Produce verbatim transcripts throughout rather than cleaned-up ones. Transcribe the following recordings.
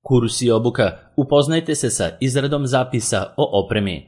Kurs i obuka. Upoznajte se sa izradom zapisa o opremi.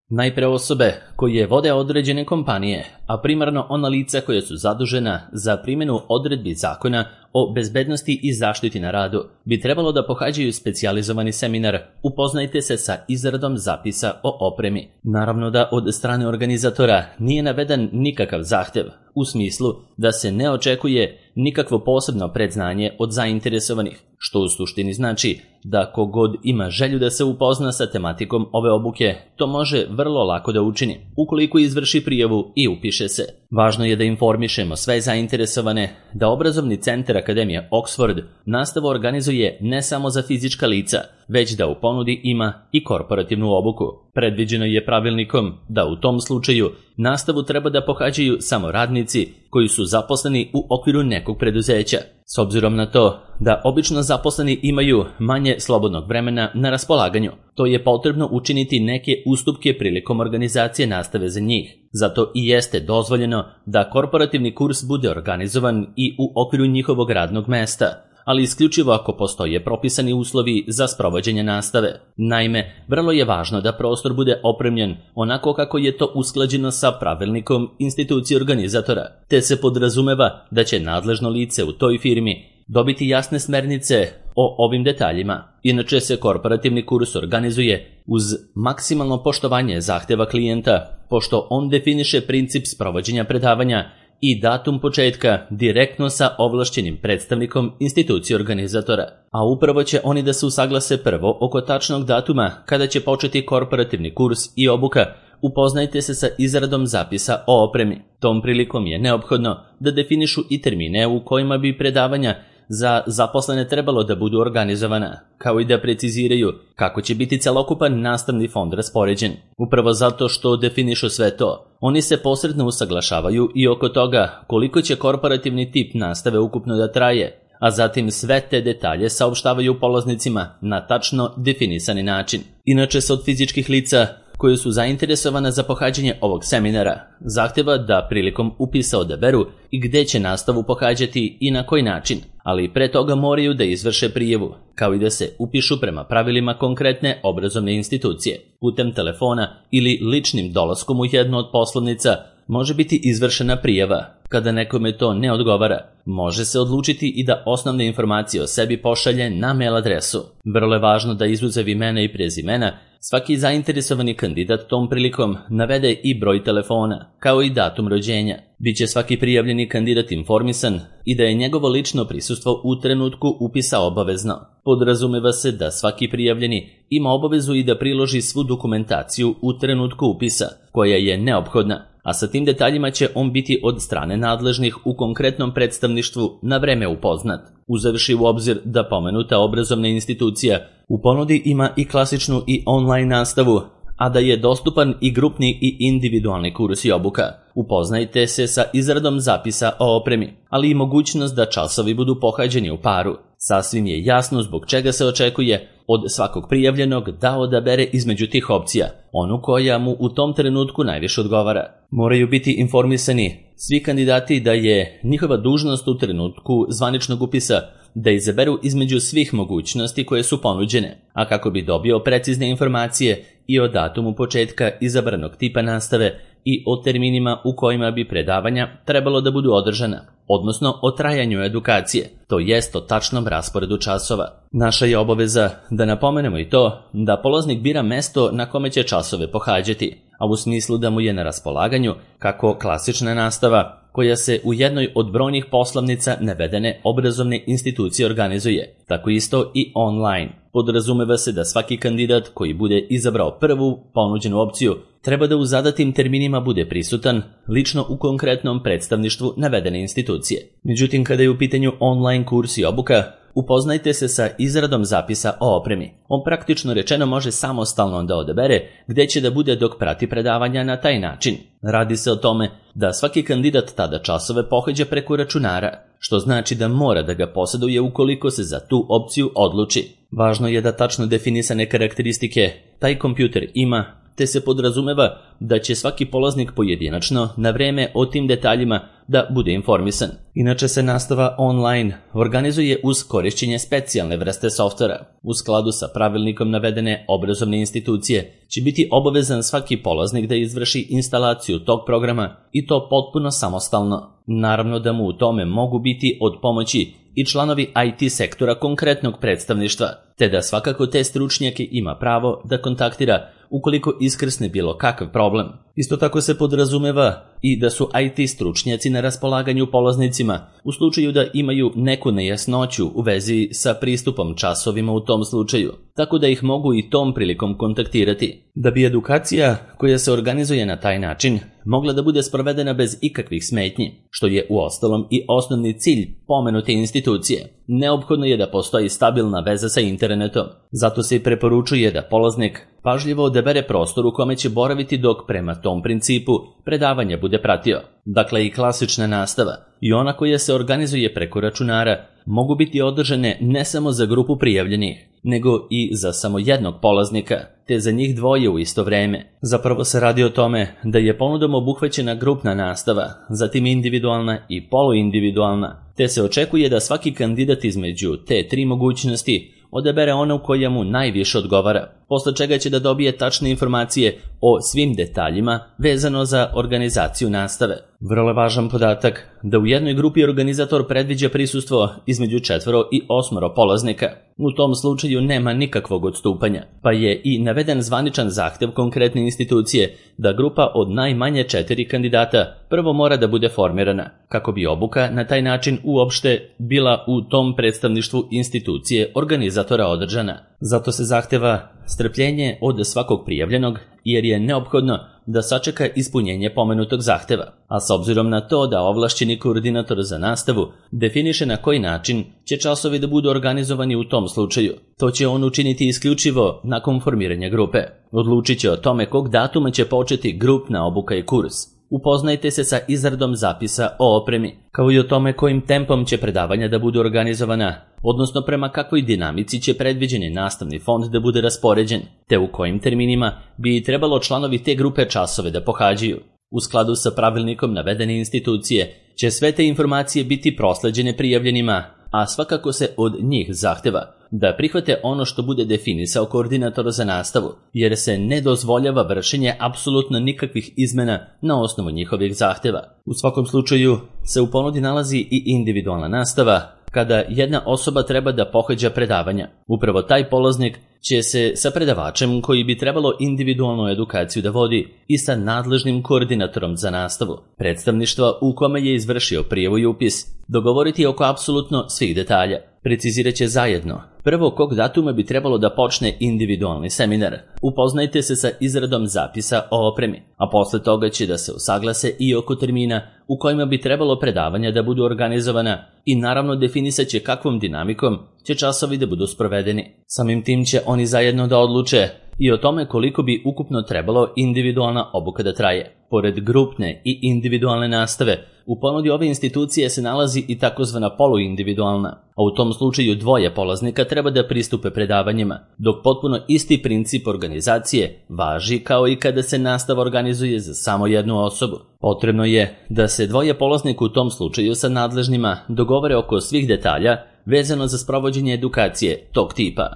Najpre osobe koje vode određene kompanije, a primarno ona lica koja su zadužena za primjenu odredbi zakona o bezbednosti i zaštiti na radu, bi trebalo da pohađaju specijalizovani seminar Upoznajte se sa izradom zapisa o opremi. Naravno da od strane organizatora nije naveden nikakav zahtev, u smislu da se ne očekuje nikakvo posebno predznanje od zainteresovanih, što u suštini znači da kogod ima želju da se upozna sa tematikom ove obuke, to može vrlo lako da učini, ukoliko izvrši prijavu i upiše se. Važno je da informišemo sve zainteresovane da obrazovni centar Akademije Oxford nastavu organizuje ne samo za fizička lica, već da u ponudi ima i korporativnu obuku. Predviđeno je pravilnikom da u tom slučaju nastavu treba da pohađaju samo radnici koji su zaposleni u okviru nekog preduzeća. S obzirom na to da obično zaposleni imaju manje slobodnog vremena na raspolaganju, to je potrebno učiniti neke ustupke prilikom organizacije nastave za njih. Zato i jeste dozvoljeno da korporativni kurs bude organizovan i u okviru njihovog radnog mesta, ali isključivo ako postoje propisani uslovi za sprovođenje nastave. Naime, vrlo je važno da prostor bude opremljen onako kako je to usklađeno sa pravilnikom institucije organizatora, te se podrazumeva da će nadležno lice u toj firmi dobiti jasne smernice o ovim detaljima. Inače se korporativni kurs organizuje uz maksimalno poštovanje zahteva klijenta, pošto on definiše princip sprovođenja predavanja i datum početka direktno sa ovlašćenim predstavnikom institucije organizatora. A upravo će oni da se usaglase prvo oko tačnog datuma kada će početi korporativni kurs i obuka. Upoznajte se sa izradom zapisa o opremi. Tom prilikom je neophodno da definišu i termine u kojima bi predavanja za zaposlene trebalo da budu organizovana, kao i da preciziraju kako će biti celokupan nastavni fond raspoređen. Upravo zato što definišu sve to, oni se posredno usaglašavaju i oko toga koliko će korporativni tip nastave ukupno da traje, a zatim sve te detalje saopštavaju polaznicima na tačno definisani način. Inače se od fizičkih lica koje su zainteresovana za pohađanje ovog seminara zahteva da prilikom upisa odaberu i gde će nastavu pohađati i na koji način, ali pre toga moraju da izvrše prijavu, kao i da se upišu prema pravilima konkretne obrazovne institucije. Putem telefona ili ličnim dolaskom u jednu od poslovnica može biti izvršena prijava. Kada nekome to ne odgovara, može se odlučiti i da osnovne informacije o sebi pošalje na mail adresu. Vrlo je važno da izuzev imena i prezimena svaki zainteresovani kandidat tom prilikom navede i broj telefona, kao i datum rođenja. Biće svaki prijavljeni kandidat informisan i da je njegovo lično prisustvo u trenutku upisa obavezno. Podrazumeva se da svaki prijavljeni ima obavezu i da priloži svu dokumentaciju u trenutku upisa, koja je neophodna, a sa tim detaljima će on biti od strane nadležnih u konkretnom predstavništvu na vreme upoznat. Uzevši u obzir da pomenuta obrazovna institucija u ponudi ima i klasičnu i online nastavu, a da je dostupan i grupni i individualni kurs i obuka. Upoznajte se sa izradom zapisa o opremi, ali i mogućnost da časovi budu pohađeni u paru. Sasvim je jasno zbog čega se očekuje od svakog prijavljenog da odabere između tih opcija, onu koja mu u tom trenutku najviše odgovara. Moraju biti informisani svi kandidati da je njihova dužnost u trenutku zvaničnog upisa da izaberu između svih mogućnosti koje su ponuđene, a kako bi dobio precizne informacije i o datumu početka izabranog tipa nastave i o terminima u kojima bi predavanja trebalo da budu održana, odnosno o trajanju edukacije, to jest o tačnom rasporedu časova. Naša je obaveza da napomenemo i to da polaznik bira mesto na kome će časove pohađati, a u smislu da mu je na raspolaganju kako klasična nastava, koja se u jednoj od brojnih poslovnica navedene obrazovne institucije organizuje, tako isto i online. Podrazumeva se da svaki kandidat koji bude izabrao prvu ponuđenu opciju treba da u zadatim terminima bude prisutan lično u konkretnom predstavništvu navedene institucije. Međutim, kada je u pitanju online kurs i obuka, upoznajte se sa izradom zapisa o opremi. On praktično rečeno može samostalno da odabere gde će da bude dok prati predavanja na taj način. Radi se o tome da svaki kandidat tada časove pohađa preko računara, što znači da mora da ga posjeduje ukoliko se za tu opciju odluči. Važno je da tačno definisane karakteristike taj kompjuter ima, te se podrazumeva da će svaki polaznik pojedinačno na vreme o tim detaljima da bude informisan. Inače se nastava online organizuje uz korišćenje specijalne vrste softvera. U skladu sa pravilnikom navedene obrazovne institucije će biti obavezan svaki polaznik da izvrši instalaciju tog programa i to potpuno samostalno. Naravno da mu u tome mogu biti od pomoći i članovi I T sektora konkretnog predstavništva, te da svakako te stručnjake ima pravo da kontaktira ukoliko iskrsne bilo kakav problem. Isto tako se podrazumeva i da su I T stručnjaci na raspolaganju polaznicima u slučaju da imaju neku nejasnoću u vezi sa pristupom časovima u tom slučaju, tako da ih mogu i tom prilikom kontaktirati. Da bi edukacija koja se organizuje na taj način mogla da bude sprovedena bez ikakvih smetnji, što je uostalom i osnovni cilj pomenute institucije, neophodno je da postoji stabilna veza sa internetom. Zato se i preporučuje da polaznik pažljivo odabere prostor u kome će boraviti dok prema tom principu predavanja bude pratio. Dakle, i klasična nastava i ona koja se organizuje preko računara mogu biti održane ne samo za grupu prijavljenih, nego i za samo jednog polaznika, te za njih dvoje u isto vreme. Zapravo se radi o tome da je ponudom obuhvaćena grupna nastava, zatim individualna i poluindividualna, te se očekuje da svaki kandidat između te tri mogućnosti odabere onu koja mu najviše odgovara, posle čega će da dobije tačne informacije o svim detaljima vezano za organizaciju nastave. Vrlo važan podatak da u jednoj grupi organizator predviđa prisustvo između četvoro i osmoro polaznika. U tom slučaju nema nikakvog odstupanja, pa je i naveden zvaničan zahtev konkretne institucije da grupa od najmanje četiri kandidata prvo mora da bude formirana, kako bi obuka na taj način uopšte bila u tom predstavništvu institucije organizatora održana. Zato se zahteva strpljenje od svakog prijavljenog, jer je neophodno da sačeka ispunjenje pomenutog zahteva, a s obzirom na to da ovlašćeni koordinator za nastavu definiše na koji način će časovi da budu organizovani u tom slučaju, to će on učiniti isključivo nakon formiranja grupe. Odlučit će o tome kog datuma će početi grupna obuka i kurs. Upoznajte se sa izradom zapisa o opremi, kao i o tome kojim tempom će predavanja da budu organizovana, odnosno prema kakvoj dinamici će predviđeni nastavni fond da bude raspoređen, te u kojim terminima bi trebalo članovi te grupe časove da pohađaju. U skladu sa pravilnikom navedene institucije će sve te informacije biti prosleđene prijavljenima, a svakako se od njih zahteva da prihvate ono što bude definisao koordinator za nastavu, jer se ne dozvoljava vršenje apsolutno nikakvih izmena na osnovu njihovih zahteva. U svakom slučaju se u ponudi nalazi i individualna nastava, kada jedna osoba treba da pohađa predavanja. Upravo taj polaznik će se sa predavačem koji bi trebalo individualnu edukaciju da vodi i sa nadležnim koordinatorom za nastavu predstavništva u kome je izvršio prijavu i upis dogovoriti oko apsolutno svih detalja. Precizirat će zajedno prvo kog datuma bi trebalo da počne individualni seminar. Upoznajte se sa izradom zapisa o opremi, a posle toga će da se usaglase i oko termina u kojima bi trebalo predavanja da budu organizovana i naravno definisat će kakvom dinamikom će časovi da budu sprovedeni. Samim tim će oni zajedno da odluče i o tome koliko bi ukupno trebalo individualna obuka da traje. Pored grupne i individualne nastave, u ponudi ove institucije se nalazi i takozvana poluindividualna, a u tom slučaju dvoje polaznika treba da pristupe predavanjima, dok potpuno isti princip organizacije važi kao i kada se nastava organizuje za samo jednu osobu. Potrebno je da se dvoje polaznika u tom slučaju sa nadležnima dogovore oko svih detalja vezano za sprovođenje edukacije tog tipa.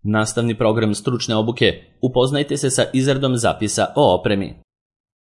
Nastavni program stručne obuke. Upoznajte se sa izradom zapisa o opremi.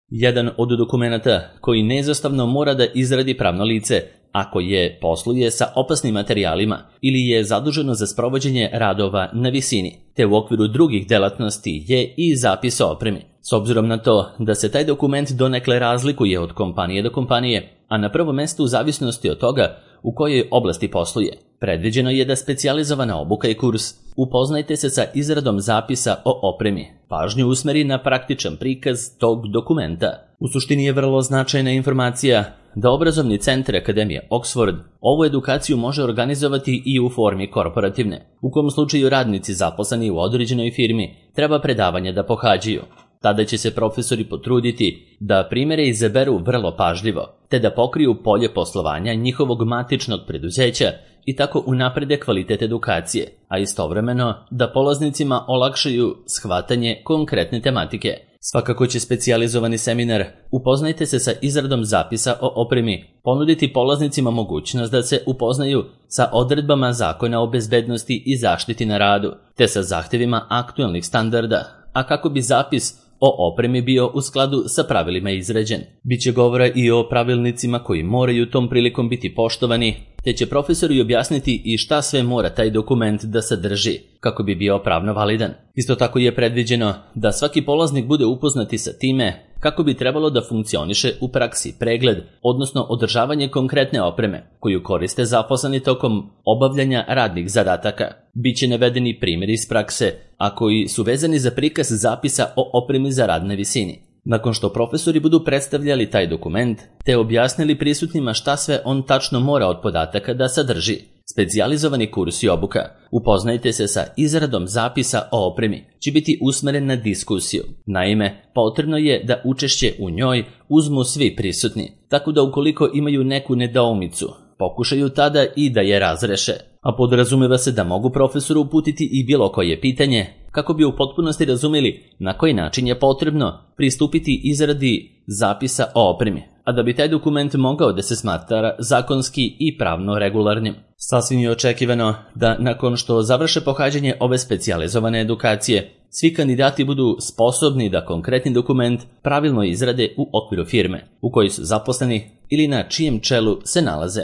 Jedan od dokumenata koji neizostavno mora da izradi pravno lice, ako je posluje sa opasnim materijalima ili je zaduženo za sprovođenje radova na visini, te u okviru drugih delatnosti je i zapis o opremi. S obzirom na to da se taj dokument donekle razlikuje od kompanije do kompanije, a na prvom mestu u zavisnosti od toga u kojoj oblasti posluje, predviđeno je da specijalizovana obuka i kurs upoznajte se sa izradom zapisa o opremi. Pažnju usmeri na praktičan prikaz tog dokumenta. U suštini je vrlo značajna informacija da obrazovni centar Akademije Oxford ovu edukaciju može organizovati i u formi korporativne, u kom slučaju radnici zaposleni u određenoj firmi treba predavanja da pohađaju. Tada će se profesori potruditi da primere izaberu vrlo pažljivo, te da pokriju polje poslovanja njihovog matičnog preduzeća i tako unaprede kvalitet edukacije, a istovremeno da polaznicima olakšaju shvatanje konkretne tematike. Svakako će specijalizovani seminar Upoznajte se sa izradom zapisa o opremi ponuditi polaznicima mogućnost da se upoznaju sa odredbama Zakona o bezbednosti i zaštiti na radu, te sa zahtjevima aktualnih standarda, a kako bi zapis o opremi bio u skladu sa pravilima izrađen. Biće govora i o pravilnicima koji moraju tom prilikom biti poštovani, te će profesori objasniti i šta sve mora taj dokument da sadrži, kako bi bio pravno validan. Isto tako je predviđeno da svaki polaznik bude upoznati sa time kako bi trebalo da funkcioniše u praksi pregled, odnosno održavanje konkretne opreme, koju koriste zaposleni tokom obavljanja radnih zadataka. Biće navedeni primjeri iz prakse, a koji su vezani za prikaz zapisa o opremi za rad na visini. Nakon što profesori budu predstavljali taj dokument, te objasnili prisutnima šta sve on tačno mora od podataka da sadrži, specijalizovani kurs i obuka Upoznajte se sa izradom zapisa o opremi će biti usmeren na diskusiju. Naime, potrebno je da učešće u njoj uzmu svi prisutni, tako da ukoliko imaju neku nedoumicu, pokušaju tada i da je razreše, a podrazumeva se da mogu profesoru uputiti i bilo koje pitanje, kako bi u potpunosti razumeli na koji način je potrebno pristupiti izradi zapisa o opremi, a da bi taj dokument mogao da se smatra zakonski i pravno regularnim. Sasvim je očekivano da nakon što završe pohađanje ove specijalizovane edukacije, svi kandidati budu sposobni da konkretni dokument pravilno izrade u okviru firme u kojoj su zaposleni ili na čijem čelu se nalaze.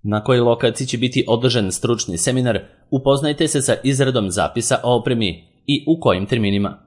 Na kojoj lokaciji će biti održan stručni seminar Upoznajte se sa izradom zapisa o opremi i u kojim terminima.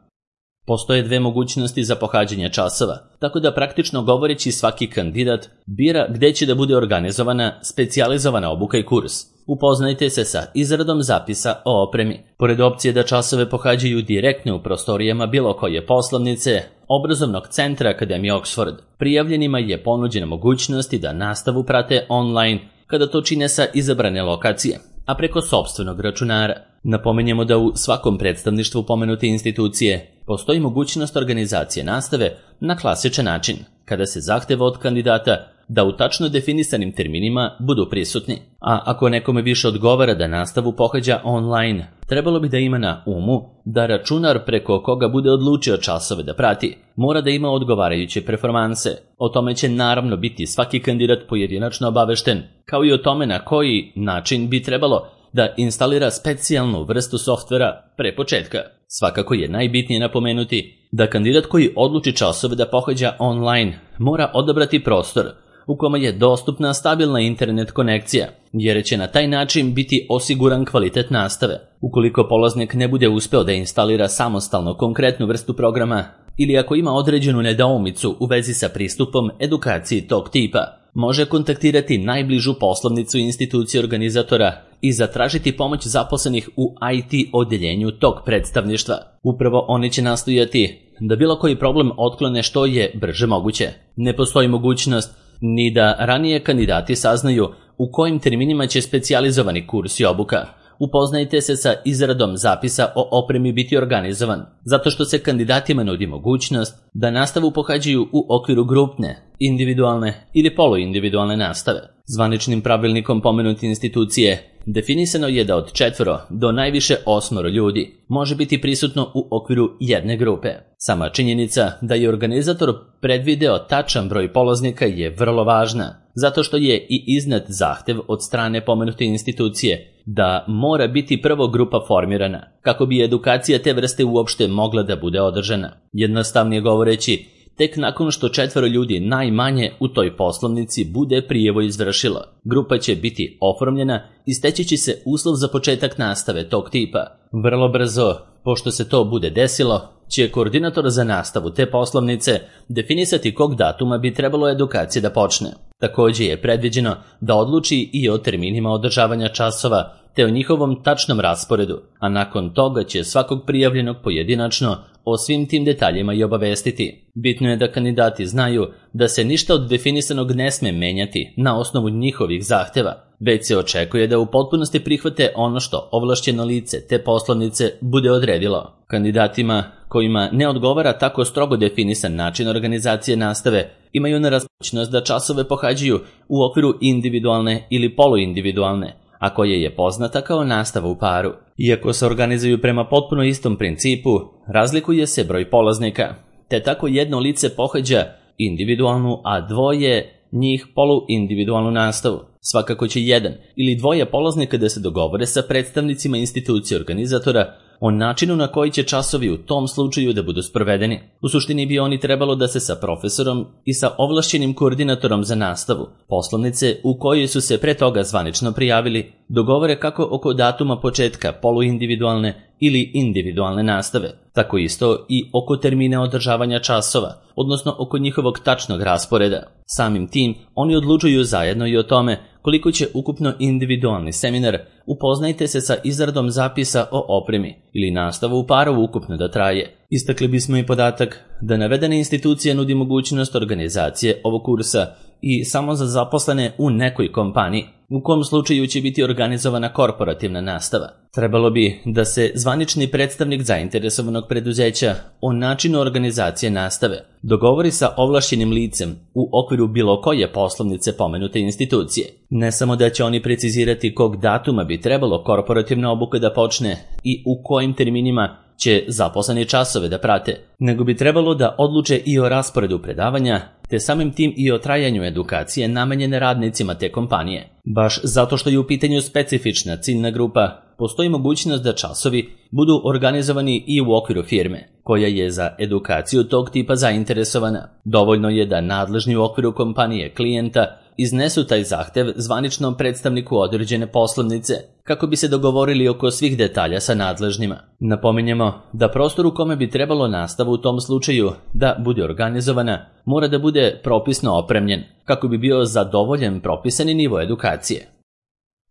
Postoje dve mogućnosti za pohađanje časova, tako da praktično govoreći svaki kandidat bira gde će da bude organizovana specijalizovana obuka i kurs. Upoznajte se sa izradom zapisa o opremi. Pored opcije da časove pohađaju direktno u prostorijama bilo koje poslovnice, obrazovnog centra Akademije Oxford, prijavljenima je ponuđena mogućnost da nastavu prate online kada to čine sa izabrane lokacije, a preko sopstvenog računara. Napomenjemo da u svakom predstavništvu pomenute institucije postoji mogućnost organizacije nastave na klasičan način, kada se zahteva od kandidata da u tačno definisanim terminima budu prisutni. A ako nekome više odgovara da nastavu pohađa online, trebalo bi da ima na umu da računar preko koga bude odlučio časove da prati mora da ima odgovarajuće performanse. O tome će naravno biti svaki kandidat pojedinačno obavešten, kao i o tome na koji način bi trebalo da instalira specijalnu vrstu softvera pre početka. Svakako je najbitnije napomenuti da kandidat koji odluči časove da pohađa online mora odabrati prostor u kome je dostupna stabilna internet konekcija, jer će na taj način biti osiguran kvalitet nastave. Ukoliko polaznik ne bude uspeo da instalira samostalno konkretnu vrstu programa ili ako ima određenu nedoumicu u vezi sa pristupom edukaciji tog tipa, može kontaktirati najbližu poslovnicu institucije organizatora i zatražiti pomoć zaposlenih u I T odeljenju tog predstavništva. Upravo oni će nastojati da bilo koji problem otklone što je brže moguće. Ne postoji mogućnost ni da ranije kandidati saznaju u kojim terminima će specijalizovani kurs i obuka Upoznajte se sa izradom zapisa o opremi biti organizovan, zato što se kandidatima nudi mogućnost da nastavu pohađaju u okviru grupne, individualne ili poluindividualne nastave. Zvaničnim pravilnikom pomenute institucije definisano je da od četvoro do najviše osmoro ljudi može biti prisutno u okviru jedne grupe. Sama činjenica da je organizator predvideo tačan broj polaznika je vrlo važna, zato što je i iznad zahtev od strane pomenute institucije da mora biti prvo grupa formirana, kako bi edukacija te vrste uopšte mogla da bude održana. Jednostavnije govoreći, tek nakon što četvoro ljudi najmanje u toj poslovnici bude prijevo izvršilo, grupa će biti oformljena i steći će se uslov za početak nastave tog tipa. Vrlo brzo, pošto se to bude desilo, će koordinator za nastavu te poslovnice definisati kog datuma bi trebalo edukacija da počne. Također je predviđeno da odluči i o terminima održavanja časova te o njihovom tačnom rasporedu, a nakon toga će svakog prijavljenog pojedinačno o svim tim detaljima i obavestiti. Bitno je da kandidati znaju da se ništa od definisanog ne sme menjati na osnovu njihovih zahteva, već se očekuje da u potpunosti prihvate ono što ovlašćeno lice te poslovnice bude odredilo. Kandidatima kojima ne odgovara tako strogo definisan način organizacije nastave imaju na raspoložnost da časove pohađaju u okviru individualne ili poluindividualne, a koja je poznata kao nastava u paru. Iako se organizuju prema potpuno istom principu, razlikuje se broj polaznika, te tako jedno lice pohađa individualnu, a dvoje njih poluindividualnu nastavu. Svakako će jedan ili dvoje polaznika da se dogovore sa predstavnicima institucije organizatora o načinu na koji će časovi u tom slučaju da budu sprovedeni. U suštini bi oni trebalo da se sa profesorom i sa ovlašćenim koordinatorom za nastavu, poslovnice u kojoj su se pre toga zvanično prijavili, dogovore kako oko datuma početka poluindividualne ili individualne nastave, tako isto i oko termina održavanja časova, odnosno oko njihovog tačnog rasporeda. Samim tim, oni odlučuju zajedno i o tome koliko će ukupno individualni seminar upoznajte se sa izradom zapisa o opremi ili nastavu u paru ukupno da traje. Istakli bismo i podatak da navedena institucija nudi mogućnost organizacije ovog kursa i samo za zaposlene u nekoj kompaniji, u kom slučaju će biti organizovana korporativna nastava. Trebalo bi da se zvanični predstavnik zainteresovanog preduzeća o načinu organizacije nastave dogovori sa ovlašćenim licem u okviru bilo koje poslovnice pomenute institucije. Ne samo da će oni precizirati kog datuma bi trebalo korporativna obuka da počne i u kojim terminima će zaposleni časove da prate, nego bi trebalo da odluče i o rasporedu predavanja, te samim tim i o trajanju edukacije namenjene radnicima te kompanije. Baš zato što je u pitanju specifična ciljna grupa, postoji mogućnost da časovi budu organizovani i u okviru firme, koja je za edukaciju tog tipa zainteresovana. Dovoljno je da nadležni u okviru kompanije klijenta iznesu taj zahtev zvaničnom predstavniku određene poslovnice, kako bi se dogovorili oko svih detalja sa nadležnima. Napominjemo da prostor u kome bi trebalo nastavu u tom slučaju da bude organizovana mora da bude propisno opremljen, kako bi bio zadovoljen propisani nivo edukacije.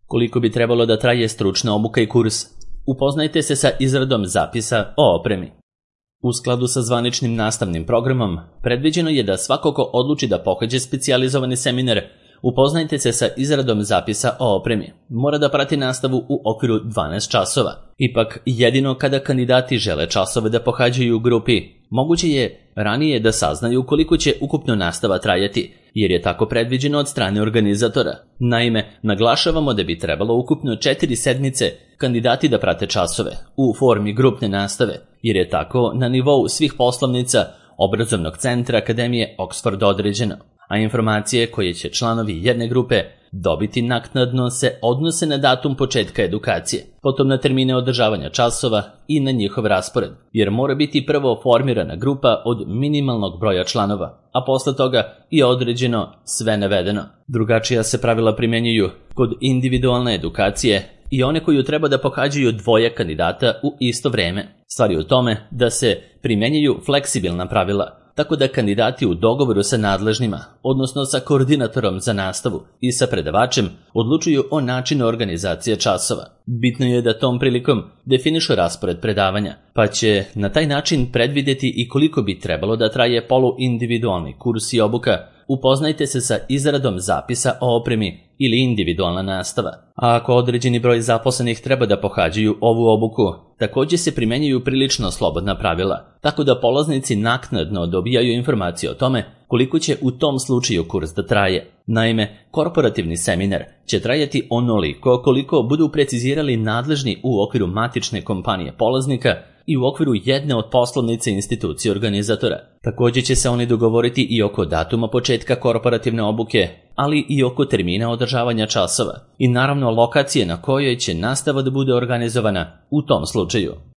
Koliko bi trebalo da traje stručna obuka i kurs? Upoznajte se sa izradom zapisa o opremi. U skladu sa zvaničnim nastavnim programom, predviđeno je da svako ko odluči da pohađa specijalizovani seminar, upoznajte se sa izradom zapisa o opremi, mora da prati nastavu u okviru dvanaest časova. Ipak, jedino kada kandidati žele časove da pohađaju u grupi, moguće je ranije da saznaju koliko će ukupno nastava trajati, jer je tako predviđeno od strane organizatora. Naime, naglašavamo da bi trebalo ukupno četiri sedmice kandidati da prate časove u formi grupne nastave, jer je tako na nivou svih poslovnica obrazovnog centra Akademije Oxford određeno, a informacije koje će članovi jedne grupe dobiti naknadno se odnose na datum početka edukacije, potom na termine održavanja časova i na njihov raspored, jer mora biti prvo formirana grupa od minimalnog broja članova, a posle toga i određeno sve navedeno. Drugačija se pravila primjenjuju kod individualne edukacije i one koju treba da pohađaju dvoje kandidata u isto vreme. Stvar je u tome da se primjenjuju fleksibilna pravila, tako da kandidati u dogovoru sa nadležnima, odnosno sa koordinatorom za nastavu i sa predavačem, odlučuju o načinu organizacije časova. Bitno je da tom prilikom definišu raspored predavanja, pa će na taj način predvideti i koliko bi trebalo da traje poluindividualni kurs i obuka. Upoznajte se sa izradom zapisa o opremi ili individualna nastava. A ako određeni broj zaposlenih treba da pohađaju ovu obuku, također se primenjuju prilično slobodna pravila, tako da polaznici naknadno dobijaju informacije o tome koliko će u tom slučaju kurs da traje. Naime, korporativni seminar će trajati onoliko koliko budu precizirali nadležni u okviru matične kompanije polaznika i u okviru jedne od poslovnice institucije organizatora. Također će se oni dogovoriti i oko datuma početka korporativne obuke, ali i oko termina održavanja časova i naravno lokacije na kojoj će nastava da bude organizovana u tom slučaju.